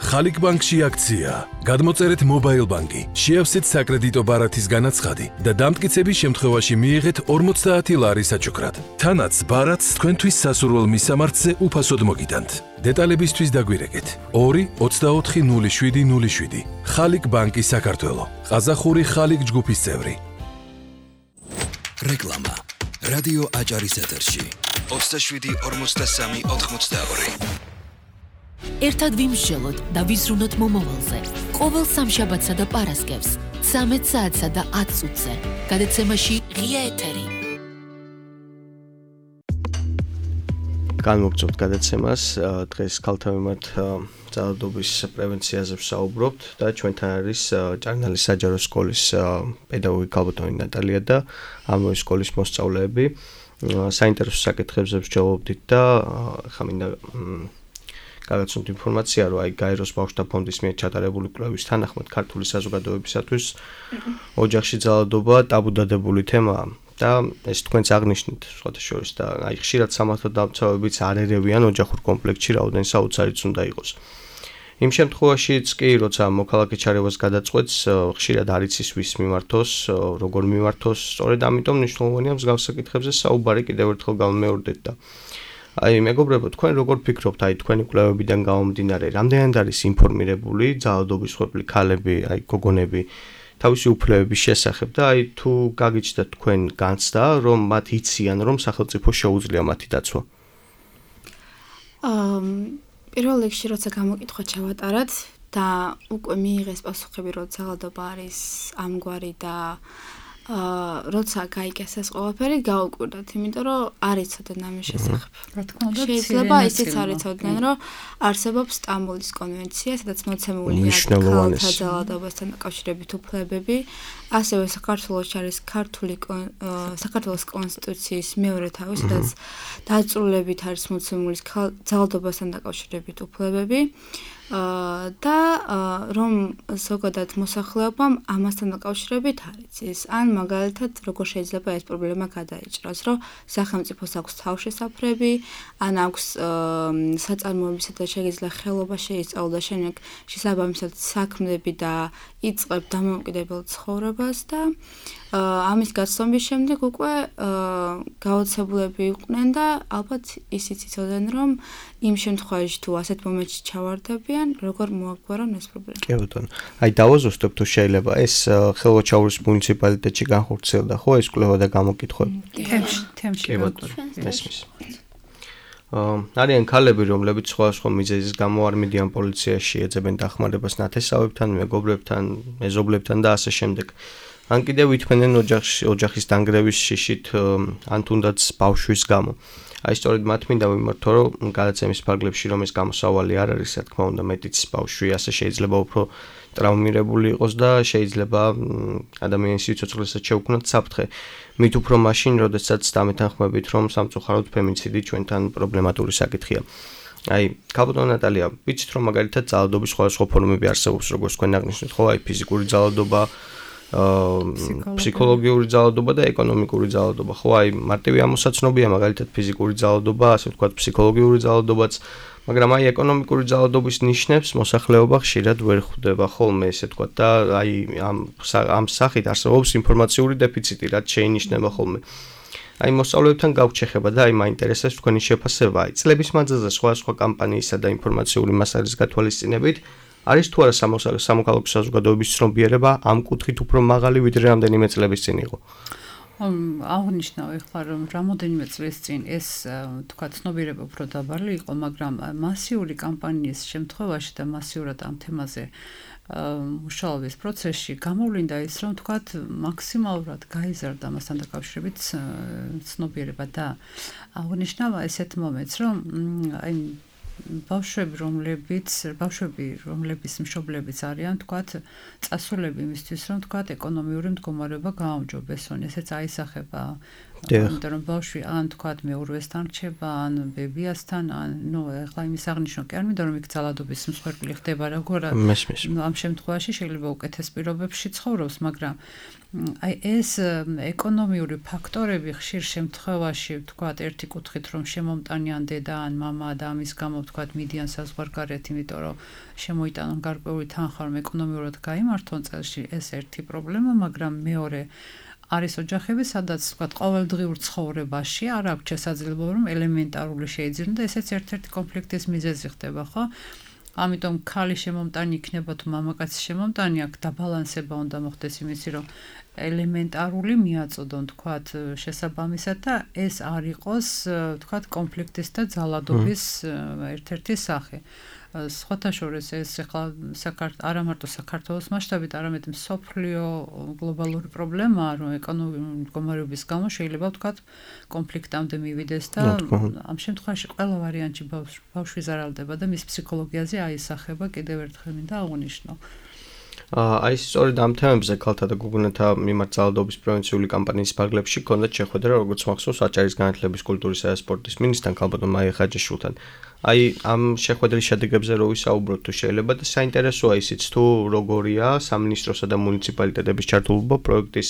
Speaker 9: ხალიქ ბანკში აქცია. გადმოწერეთ მობაილ ბანკი, შეავსეთ საკრედიტო ბარათის განაცხადი და დამტკიცების შემთხვევაში მიიღეთ ორმოცდაათი ლარი საჩუქრად. თანაც ბარათს თქვენთვის სასურველ მისამართზე უფასოდ მოგიტანთ. დეტალებისთვის დაგვირეკეთ ორი ოცდაოთხი ნული შვიდი ნული შვიდი. ხალიქ ბანკი საქართველო. ყაზახური ხალიქ ჯგუფის წევრი.
Speaker 1: რეკლამა. რადიო აჭარის ეთერში. ოცდაშვიდი ორმოცდასამი ოთხმოცდაორი.
Speaker 2: ერთად ვიმსჯელოთ და ვიზრუნოთ მომავალზე. ყოველ სამშაბათსა და პარასკევს, ცამეტ საათსა და ათ წუთზე. გადაცემაში ღია ეთერი.
Speaker 3: განმოგწევთ გადაცემას. დღეს ქალთა მიმართ ძალადობის პრევენციაზე ვსაუბრობთ და ჩვენთან არის ჭარნალის საჯარო სკოლის პედაგოგი ქალბატონი ნატალია და ამავე სკოლის მოსწავლეები. საინტერესო საკითხებზე ვსჯელობდით და ხა მინდა გაგაცნობთ ინფორმაცია, რომ აი გაეროს ბავშვთა ფონდის მიერ ჩატარებული კვლევის თანახმად ქართული საზოგადოებისათვის ოჯახში ძალადობა ტაბუდადებული თემაა და ეს თქვენც აღნიშნეთ სხვათა შორის და აი ხშირად სამართალ დამცავებიც არ ერევიან ოჯახურ კომპლექსში რაოდენ საოცარიც უნდა იყოს. იმ შემთხვევაშიც კი, როცა მოქალაქე ჩარევას გადაწყვეტს, ხშირად არ იცის ვის მიმართოს, როგორ მიმართოს, სწორედ ამიტომ მნიშვნელოვანია მსგავს საკითხებზე საუბარი კიდევ ერთხელ გავმეორდეთ და აი მეგობრებო, თქვენ როგორ ფიქრობთ, აი თქვენი კვლევებიდან გამომდინარე, რამდენად არის ინფორმირებული ძალადობის ხვეპლი ქალები, აი გოგონები თავისი უფლებების შესახებ და აი თუ გაგიჩნდათ თქვენ განცდა, რომ მათ იციან, რომ სახელმწიფო შეუძლია მათი დაცვა?
Speaker 5: აა პირველ რიგში როცა გამოკითხვა ჩავატაროთ და უკვე მიიღეს პასუხები, რომ ძალადობა არის ამგვარი და აა როცა გაიგეს ეს ყველაფერი გაუკვირდათ, იმიტომ რომ არ იცოდნენ ამის შესახებ.
Speaker 4: რა თქმა უნდა,
Speaker 5: შეიძლება ისიც არ იცოდნენ, რომ არსებობს სტამბოლის კონვენცია, სადაც მოცემულია ქალთა ძალადობასთან დაკავშირებით უფლებები. ასევე საქართველოს არის ქართული საქართველოს კონსტიტუციის მეორე თავი, სადაც დაწვრილებით არის მოცემული ძალადობასთან დაკავშირებით უფლებები. და რომ ზოგადად მოსახლეობამ ამასთან დაკავშირებით არ იცის. ან მაგალითად, როგორ შეიძლება ეს პრობლემა გადაიჭრას, რომ სახელმწიფოს აქვს თავშესაფრები, ან აქვს საწარმოებისა და შეგიძლია ხელობა შეისწავლო და შემდეგ შესაბამისად საქმეები და იწყებ დამოუკიდებელ ცხოვრებას და ამის გაცნობის შემდეგ უკვე გაოცებულები იყვნენ და ალბათ ისიც იცოდნენ, რომ იმ შემთხვევაში თუ ასეთ მომენტში ჩავარდებიან, როგორ მოაგვარონ ეს პრობლემა.
Speaker 3: კი ბატონო. აი დავაზუსტებ თუ შეიძლება ეს ხელვაჩაურის მუნიციპალიტეტში განხორციელდა ხო ეს კვლევა და გამოკითხვები?
Speaker 4: თემში, თემში.
Speaker 3: კი ბატონო. ესმის. აა არიან ქალები, რომლებიც სხვადასხვა მიზეზის გამო არ მიდიან პოლიციაში, ეძებენ დახმარებას ნათესავებთან, მეგობრებთან, მეზობლებთან და ასე შემდეგ. ან კიდევ ითქმენ ოჯახში, ოჯახის დანგრევის შიშით, ან თუნდაც ბავშვის გამო. აი სწორედ მათ მინდა ვიმართო, რომ გადაცემის ფარგლებში რომ ეს გამოსავალი არ არის, რა თქმა უნდა, მეტიც ბავშვი ასე შეიძლება უფრო ტრავმირებული იყოს და შეიძლება ადამიანის სიცოცხლესაც შეუქმნათ საფრთხე. მით უფრო მაშინ, როდესაც დამეთანხმებით, რომ სამწუხაროდ ფემინიციდი ჩვენთან პრობლემატური საკითხია. აი, ქალბატონო ნატალია, ვიცით რომ მაგალითად ძალადობის სხვადასხვა ფორმები არსებობს, როგორც თქვენ აღნიშნეთ, ხო, აი ფიზიკური ძალადობა, ფსიქოლოგიური ძალადობა და ეკონომიკური ძალადობა. ხო, აი მარტივი ამოსაცნობია მაგალითად ფიზიკური ძალადობა, ასე ვთქვათ, ფსიქოლოგიური ძალადობაც, მაგრამ აი ეკონომიკური ძალადობის ნიშნებს მოსახლეობა ხშირად ვერ ხვდება ხოლმე, ესე ვთქვათ და აი ამ ამ სახით არსებობს ინფორმაციული დეფიციტი, რაც შეინიშნება ხოლმე. აი მოსწავლეებთან გავჩეხება და აი მაინტერესებს თქვენი შეფასება. აი წლების მანძილზე სხვადასხვა კამპანიისა და ინფორმაციული მასალის გათვალისწინებით არის თუ არა სამოქალაქო საზოგადოების ცნობიერება ამ კუთხით უფრო მაღალი ვიდრე რამდენიმე წლების წინ იყო?
Speaker 4: აღნიშნავ ეხლა რომ რამოდენიმე წლის წინ ეს თქვა ცნობიერება უფრო დაბალი იყო, მაგრამ მასიური კამპანიის შემთხვევაში და მასიურად ამ თემაზე მუშაობის პროცესში გამოვლინდა ის, რომ თქვათ მაქსიმალურად გაიზარდა მასთან დაკავშირებით ცნობიერება და აღნიშნავ ესეთ მომენტს, რომ აი ბავშვები, რომლებიც ბავშვები, რომლების მშობლებიც არიან, თქვათ, წასულები იმისთვის, რომ თქვათ, ეკონომიური მდგომარეობა გააუმჯობესონ, ესეც აისახება. იმიტომ რომ ბავშვი ან თქვათ მეურვესთან რჩება, ან ბებიასთან, ან ნუ ეხლა იმის აღნიშნო კი არ მინდა რომ იქ ძალადობის მსხვერპლი ხდება როგორ ამ შემთხვევაში შეიძლება უკეთეს პირობებში ცხოვრობს, მაგრამ აი ეს ეკონომიური ფაქტორები ხშირ შემთხვევაში თქვათ ერთი კუთხით რომ შემომტანიან დედა ან მამა და ამის გამო თქვათ მიდიან საზღვარგარეთ, იმიტომ რომ შემოიტანონ გარკვეული თანხა რომ ეკონომიურად გაიმართონ წელში, ეს ერთი პრობლემა, მაგრამ მეორე არის ოჯახები, სადაც თქვათ ყოველდღიურ ცხოვრებაში არ აქვს შესაძლებლობა რომ ელემენტარული შეიძინონ და ესეც ერთ-ერთი კონფლიქტის მიზეზი ხდება, ხო? ამიტომ ქალი შემომტანი იქნება თუ მამაკაცი შემომტანი აქ დაბალანსება უნდა მოხდეს იმისი რომ ელემენტარული მიაწოდონ თქვათ შესაბამისად და ეს არ იყოს თქვათ კონფლიქტის და ძალადობის ერთ-ერთი სახე. სხვათა შორის ეს ახლა საქართველოს არა მარტო საქართველოს მასშტაბით, არამედ მსოფლიო გლობალური პრობლემაა, რომ ეკონომიკური მდგომარეობის გამო შეიძლება ვთქვათ კონფლიქტამდე მივიდეს და ამ შემთხვევაში ყველა ვარიანტი ბავშვი ზარალდება და მის ფსიქოლოგიაზე აისახება კიდევ ერთხელ მინდა აღვნიშნო.
Speaker 3: აი სწორედ ამ თემებზე ქალთა და გოგონათა მიმართ ძალადობის პრევენციული კამპანიის ფარგლებში ჰქონდათ შეხვედრა როგორც მახსოვს აჭარის განათლების კულტურისა და სპორტის მინისტრთან ქალბატონ მაია ხაჯიშვილთან. აი ამ შეხვედრის შედეგებზე რო ვისაუბროთ თუ შეიძლება და საინტერესოა ისიც თუ როგორია სამინისტროსა და მუნიციპალიტეტების ჩართულობა პროექტის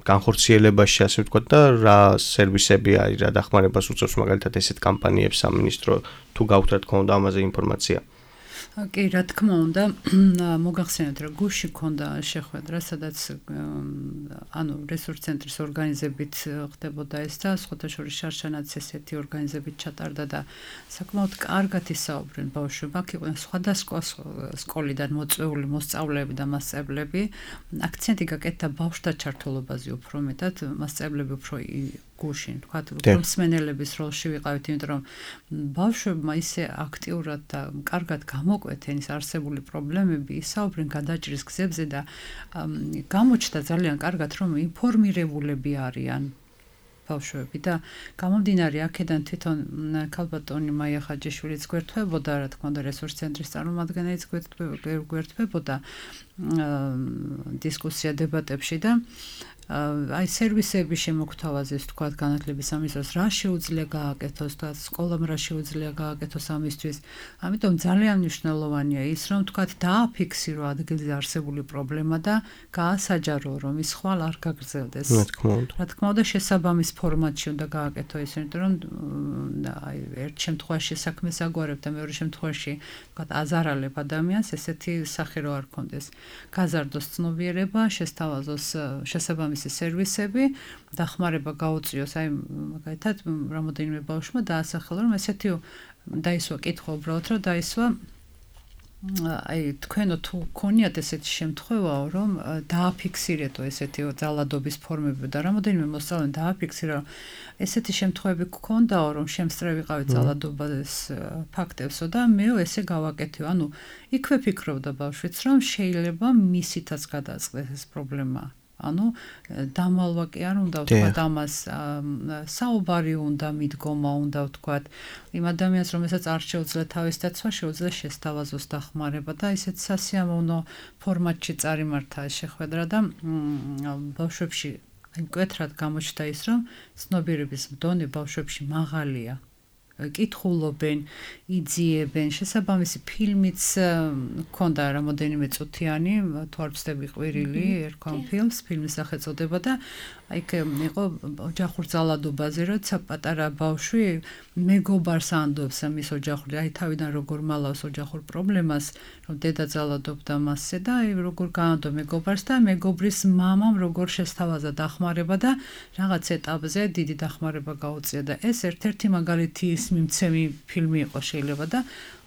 Speaker 3: განხორციელებაში ასე ვთქვათ და რა სერვისები არის, რა დახმარებას უწევს მაგალითად ესეთ კამპანიებს სამინისტრო თუ გაქვთ რა თქმა უნდა ამაზე ინფორმაცია.
Speaker 4: კი, რა თქმა უნდა, მოგახსენებთ რომ გუშინ ქონდა შეხვედრა, სადაც ანუ რესურს ცენტრის ორგანიზებით ხდებოდა ეს და სხვათა შორის შარშანაც ესეთი ორგანიზებით ჩატარდა და საკმაოდ კარგად ისაუბრენ ბავშვები, აქ იყვნენ სხვადასხვა სკოლიდან მოწვეული მოსწავლეები და მასწავლებლები, აქცენტი გაკეთდა ბავშვთა ჩართულობაზე უფრო მეტად, მასწავლებლები უფრო გუშინ, თქვათ, რომ მსმენელების როლში ვიყავით, იმიტომ რომ ბავშვებმა ისე აქტიურად და კარგად გამოკვეთენ ის არსებული პრობლემები, ისაუბრენ გადაჭრის გზებზე და გამოჩნდა ძალიან კარგად, რომ ინფორმირებულები არიან ბავშვები და გამომდინარე აქედან თვითონ ქალბატონი მაია ხაჯიშვილიც გვერდთვებოდა, რა თქმა უნდა, რესურს ცენტრის წარმომადგენელიც გვერდთვებოდა დისკუსია დებატებში და აი სერვისების შემოგვთავაზეს თქვათ განათლების სამინისტროს რა შეუძლია გააკეთოს და სკოლამ რა შეუძლია გააკეთოს ამისთვის. ამიტომ ძალიან მნიშვნელოვანია ის რომ თქვათ დააფიქსირო ადგილზე არსებული პრობლემა და გაასაჯარო რომ ის ხვალ არ გაგრძელდეს.
Speaker 3: რა თქმა უნდა.
Speaker 4: რა თქმა უნდა შესაბამის ფორმატში უნდა გააკეთო ის, იმიტომ რომ აი ერთ შემთხვევაში საქმეს აგვარებ და მეორე შემთხვევაში თქვათ აზარალებ ადამიანს ესეთი სახე რო არ კონდეს. გაზარდოს ცნობიერება, შესთავაზოს შესაბამის სერვისები, დახმარება გაუწიოს, აი მაგალითად რამოდენიმე ბავშვმა დაასახელა რომ ესეთი დაისვა კითხვა უბრალოდ რომ დაისვა აი თქვენო თუ გქონიათ ესეთი შემთხვევაო რომ დააფიქსირეთო ესეთი ძალადობის ფორმები და რამოდენიმე მოსწავლემ დააფიქსირა ესეთი შემთხვევები გქონდაო რომ შემსწრევიყავით ძალადობის ფაქტებსო და მეო ესე გავაკეთე, ანუ იქვე ფიქრობდა ბავშვიც რომ შეიძლება მისითაც გადაწყდეს ეს პრობლემა. ანუ დამალვა კი არ უნდა ვთქვათ ამას საუბარი უნდა მიდგომა უნდა ვთქვათ იმ ადამიანს რომელსაც არ შეუძლია თავის დაცვა შეუძლია შესთავაზოს დახმარება და ისეთ სასიამოვნო ფორმატში წარიმართა შეხვედრა და ბავშვებში აი მკვეთრად გამოჩნდა ის რომ ცნობიერების დონე ბავშვებში მაღალია კითხულობენ, იძიებენ, შესაბამისი ფილმიც ქონდა რამოდენიმე წუთიანი, თუ არ ვცდები ყვირილი, ერქვა ფილმს, ფილმის სახელწოდება და იქ იყო ოჯახურ ძალადობაზე, როცა პატარა ბავშვი მეგობარს ანდობს მის ოჯახური, აი თავიდან როგორ მალავს ოჯახურ პრობლემას, რომ დედა ძალადობდა მასზე და აი როგორ გაანდო მეგობარს და მეგობრის მამამ როგორ შესთავაზა დახმარება და რაღაც ეტაპზე დიდი დახმარება გაუწია და ეს ერთ-ერთი მაგალითი ის მიმცემი ფილმი იყო შეიძლება და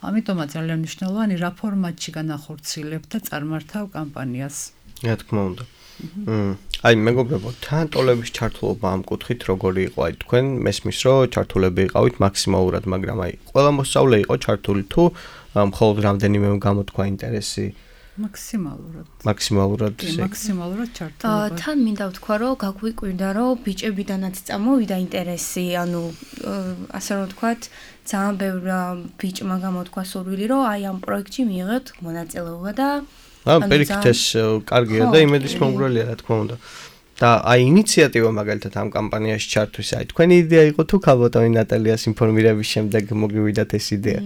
Speaker 4: ამიტომაც ძალიან მნიშვნელოვანი რა ფორმატში განახორციელებთ და წარმართავ კამპანიას.
Speaker 3: რა თქმა უნდა. მმ აი მეგობრებო, თან ტოლების ჩართულობა ამ კუთხით როგორი იყო? აი თქვენ მესმის რომ ჩართულები იყავით მაქსიმალურად, მაგრამ აი ყველა მოსწავლე იყო ჩართული თუ მხოლოდ რამდენიმე გამოთქვა ინტერესი?
Speaker 4: მაქსიმალურად.
Speaker 3: მაქსიმალურად
Speaker 4: კი, მაქსიმალურად ჩართულობა.
Speaker 7: თან მინდა ვთქვა, რომ გაგვიკვირდა, რომ ბიჭებიდანაც წამოვიდა ინტერესი, ანუ ასე რომ ვთქვათ, ძალიან ბევრ ბიჭმა გამოთქვა სურვილი, რომ აი ამ პროექტში მიიღოთ მონაწილეობა და
Speaker 3: ანუ პირიქით ეს კარგია და იმედის მომგვრელია, რა თქმა უნდა. და აი ინიციატივა მაგალითად ამ კამპანიაში ჩართვის, აი თქვენი იდეა იყო თუ ქალბატონი ნატალიას ინფორმირების შემდეგ მოგივიდათ ეს იდეა?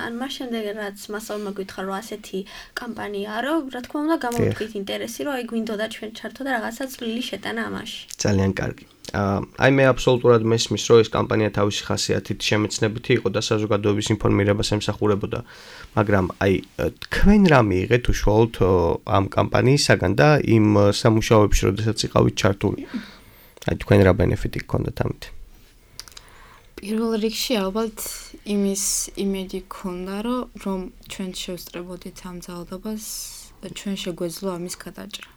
Speaker 6: ან მას შემდეგ რაც მასალმა გითხრა რომ ასეთი კამპანიაა, რომ რა თქმა უნდა გამოვთქვით ინტერესი, რომ აი გვინდოდა ჩვენ ჩართო და რაღაცა წვლილი შეტანა ამაში.
Speaker 3: ძალიან კარგი. აი მე აბსოლუტურად მესმის, რომ ეს კამპანია თავისი ხასიათით შემეცნებითი იყო და საზოგადოების ინფორმირებას ემსახურებოდა. მაგრამ აი თქვენ რა მიიღეთ უშუალოდ ამ კამპანიისაგან და იმ სამუშაოებში, როდესაც იყავით ჩართული? აი თქვენ რა ბენეფიტი გქონდათ ამით?
Speaker 5: პირველ რიგში ალბათ იმის იმედი გქონდა, რომ ჩვენ შევსწრებოდით ამ ძალადობას და ჩვენ შეგვეძლო ამის გადაჭრა.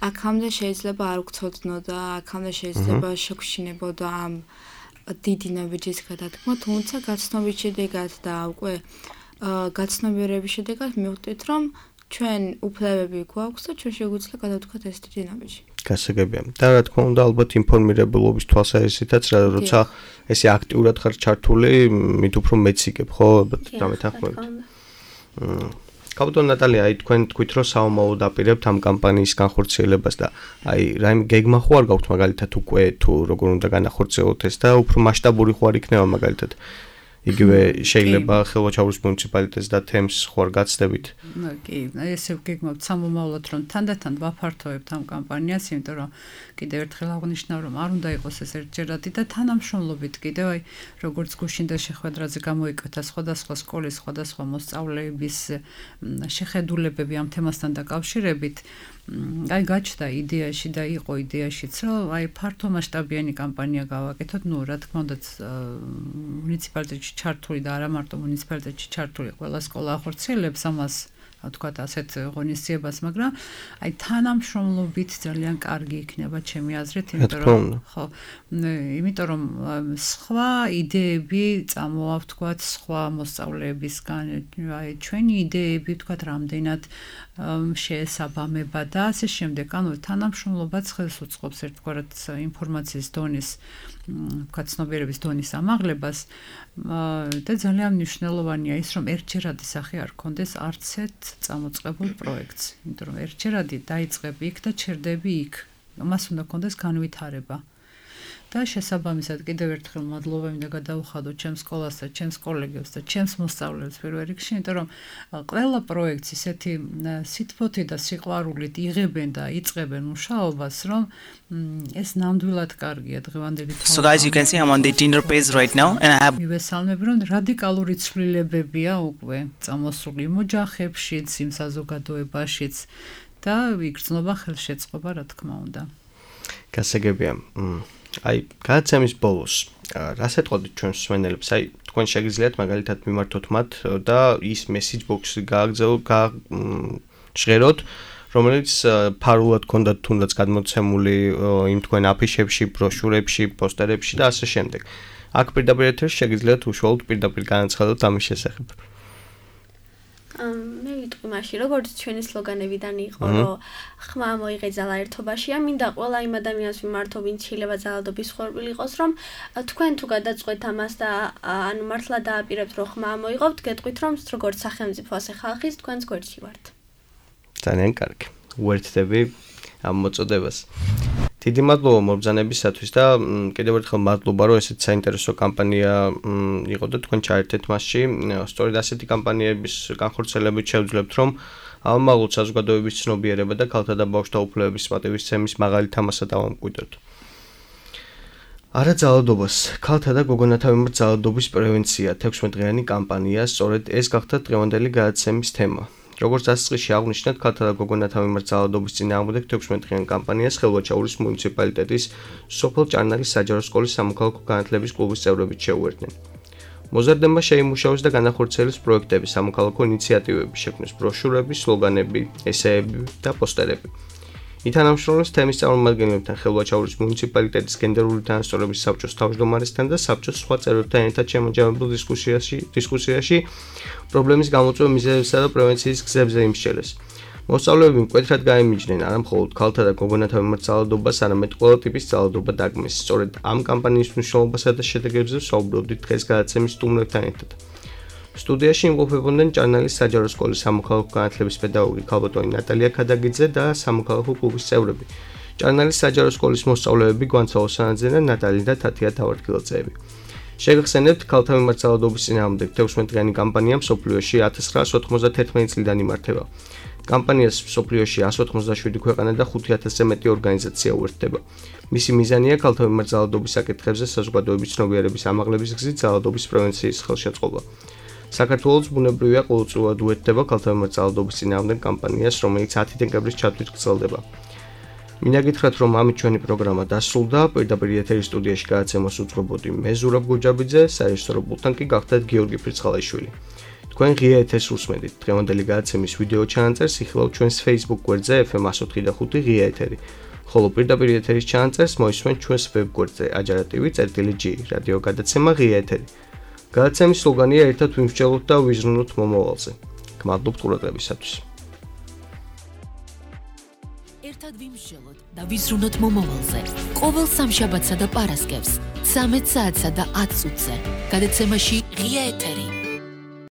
Speaker 5: აქამდე შეიძლება არ გწოდნოდა, აქამდე შეიძლება შეგვშინებოდა ამ დიდი ნაბიჯის გადადგმა, თუმცა გაცნობის შედეგად და უკვე გაცნობიერების შედეგად მივხვდით, რომ ჩვენ უფლებები გვაქვს და ჩვენ შეგვიძლია გადავთქვათ ეს დიდი ნაბიჯი.
Speaker 3: გასაგებია. და რა თქმა უნდა, ალბათ ინფორმირებულობის თვალსაზრისითაც, როცა ესე აქტიურად ხარ ჩართული, მით უფრო მეციგებ, ხო? ალბათ დამეთანხმებით. ქალბატონი ნატალია, აი თქვენ თქვით, რომ საომავლოდ აპირებთ ამ კამპანიის განხორციელებას და აი რაიმე გეგმა ხო არ გაქვთ მაგალითად უკვე თუ როგორ უნდა განახორციელოთ ეს და უფრო მასშტაბური ხო არ იქნება მაგალითად? იგივე შეიძლება ხელვაჩაურის მუნიციპალიტეტს და თემს ხო არ გაცდებით?
Speaker 4: კი, ესე ვგეგმავთ სამომავლოდ რომ თანდათან ვაფართოვებთ ამ კამპანიას, იმიტომ რომ კიდევ ერთხელ აღნიშნავ, რომ არ უნდა იყოს ეს ერთჯერადი და თანამშრომლობით კიდევ აი როგორც გუშინდა შეხვედრაზე გამოიკვეთა სხვადასხვა სკოლის, სხვადასხვა მოსწავლეების შეხედულებები ამ თემასთან დაკავშირებით, აი გაჩნდა იდეაში და იყო იდეაშიც, რომ აი ფართომასშტაბიანი კამპანია გავაკეთოთ, ну, რა თქმა უნდა, მუნიციპალიტეტში ჩართული და არა მარტო მუნიციპალიტეტში ჩართული ყველა სკოლა ახორციელებს ამას, ვთქვათ, ასეთ ღონისძიებას, მაგრამ აი თანამშრომლობით ძალიან კარგი იქნება ჩემი აზრით, იმიტომ რომ ხო, იმიტომ რომ სხვა იდეები წამოვა, ვთქვათ, სხვა მოსწავლეებისგან, აი ჩვენი იდეები, ვთქვათ, რამდენად შეესაბამება და ასე შემდეგ. ანუ თანამშრომლობაც ხელს უწყობს ერთგვარად ინფორმაციის დონის, ვთქვათ, ცნობიერების დონის ამაღლებას და ძალიან მნიშვნელოვანია ის, რომ ერთჯერადი სახე არ ქონდეს არც ერთ წამოწყებულ პროექტს, იმიტომ რომ ერთჯერადი დაიწყები იქ და ჩერდები იქ. მას უნდა ქონდეს განვითარება. და შესაბამისად კიდევ ერთხელ მადლობა მინდა გადავუხადო ჩემს სკოლას და ჩემს კოლეგებს და ჩემს მოსწავლეებს პირველ რიგში, იმიტომ რომ ყველა პროექტს ისეთი სითბოთი და სიყვარულით იღებენ და იწყებენ მუშაობას, რომ ეს ნამდვილად კარგია დღევანდელი თაობა.
Speaker 10: So guys, you can see I'm on the Tinder page right now and I have
Speaker 4: მივესალმები, რომ რადიკალური ცვლილებებია უკვე წამოსული მოჯახებშიც, იმ საზოგადოებაშიც და იგრძნობა ხელშეწყობა, რა თქმა უნდა.
Speaker 3: გასაგებია. აი, გადაცემის ბოლოს, რას ეტყოდით ჩვენს მსმენელებს? აი, თქვენ შეგიძლიათ მაგალითად მიმართოთ მათ და ის message box-ი გააგზავნოთ, რომელიც ფარულად ქონდათ თუნდაც გადმოცემული იმ თქვენ აფიშებში, ბროშურებში, პოსტერებში და ასე შემდეგ. აქ პირდაპირ ეთერში შეგიძლიათ უშუალოდ პირდაპირ განაცხადოთ ამის შესახებ.
Speaker 6: მე ვიტყვი მაშინ, როგორც ჩვენი სლოგანებიდან იყო, რომ ხმა მოიღეძალა ერთობაში, ამინდა ყველა იმ ადამიანს ვიმართო, ვინც შეიძლება ძალადობის ხორბილი იყოს, რომ თქვენ თუ გადაწყვეტ ამას და ანუ მართლა დააპირებთ, რომ ხმა მოიღოთ, გეტყვით, რომ როგორც სახელმწიფო ასე ხალხის თქვენს გვერდში ვართ.
Speaker 3: ძალიან კარგი. უერთდები ამ მოწოდებას. დიდი მადლობა მობრძანებისათვის და კიდევ ერთხელ მადლობა, რომ ესეთ საინტერესო კამპანია იყო და თქვენ ჩაერთეთ მასში. სწორედ ასეთი კამპანიების განხორციელებით შევძლებთ, რომ ამაღლოთ საზოგადოების ცნობიერება და ქალთა და ბავშვთა უფლებების პატივისცემის მაღალი თამასა დავამკვიდროთ. არაძალადობას, ქალთა და გოგონათა მიმართ ძალადობის პრევენცია, თექვსმეტდღიანი კამპანია, სწორედ ეს გახდა დღევანდელი გადაცემის თემა. როგორც დასაწყისში აღნიშნეთ, ქალთა და გოგონათა მიმართ ძალადობის წინააღმდეგ თექვსმეტდღიან კამპანიას ხელვაჩაურის მუნიციპალიტეტის სოფელ ჭანარის საჯარო სკოლის სამოქალაქო განათლების კლუბის წევრები შეუერთდნენ. მოზარდმა შეიმუშაოს და განახორციელოს პროექტები, სამოქალაქო ინიციატივები, შექმნეს ბროშურები, სლოგანები, ესეები და პოსტერები. ითანამშრომლებს თემის წარმომადგენლებთან, ხელვაჩაურის მუნიციპალიტეტის გენდერული თანასწორობის საბჭოს თავმჯდომარესთან და საბჭოს სხვა წევრებთან ერთად შემაჯამებულ დისკუსიაში, დისკუსიაში პრობლემის გამოწვევა მიზეზებსა და პრევენციის გზებზე იმსჯელეს. მოსწავლეები მკვეთრად გაიმიჯნენ არა მხოლოდ ქალთა და გოგონათა მიმართ ძალადობას, არამედ ყველა ტიპის ძალადობა დაგმეს. სწორედ ამ კამპანიის მნიშვნელობასა და შედეგებზე ვსაუბრობდით დღეს გადაცემის სტუმრებთან ერთად. სტუდიაში იმყოფებოდნენ ჭარნალის საჯარო სკოლის სამოქალაქო განათლების პედაგოგი ქალბატონი ნატალია ქადაგიძე და სამოქალაქო კლუბის წევრები. ჭარნალის საჯარო სკოლის მოსწავლეები გვანცალო სანაძე და ნატალი და თათია თავარდქილაძეები. შეგახსენებთ, ქალთა მიმართ ძალადობის წინააღმდეგ თექვსმეტ-დღიანი კამპანია მსოფლიოში ათას ცხრაას ოთხმოცდათერთმეტი წლიდან იმართება. კამპანიას მსოფლიოში εκατს ოცდაშვიდი ქვეყანა და ხუთი ათასზე მეტი ორგანიზაცია უერთდება. მისი მიზანია ქალთა მიმართ ძალადობის საკითხებზე საზოგადოების ცნობიერების ამაღლების გზით ძალადობის პრევენციის ხელშეწყობა. საქართველოს ბუნებრივია ყოველწლიურად უერთდება ქალთა მიმართ ძალადობის წინააღმდეგ კამპანიას, რომელიც ათი დეკემბრის ჩათვლით გრძელდება. მინდა გითხრათ, რომ ამით ჩვენი პროგრამა დასრულდა. პირდაპირ ეთერის სტუდიაში გადაცემას უძღვებოდი მე ზურაბ გურჯაბიძე, საერთო პულტთან კი გახდათ გიორგი ფრიცხალაიშვილი. თქვენ ღია ეთერს უსმენთ. დღევანდელი გადაცემის ვიდეო ჩანაწერს იხილავთ ჩვენს Facebook გვერდზე ეფ ემ εκατს ოთხი და ხუთი ღია ეთერი. ხოლო პირდაპირ ეთერის ჩანაწერს მოისმენთ ჩვენს ვებ გვერდზე ajarativi წერტილი ჯი რადიო გადაცემა ღია ეთერი. გადაცემის სლოგანია ერთად ვიმსჯელოთ და ვიზრუნოთ მომავალზე. გმადლობთ ყურადღებისათვის.
Speaker 2: ერთად ვიმსჯელოთ და ვიზრუნოთ მომავალზე. ყოველ სამშაბათსა და პარასკევს, ცამეტ საათსა და ათ წუთზე. გადაცემაში ღია ეთერი.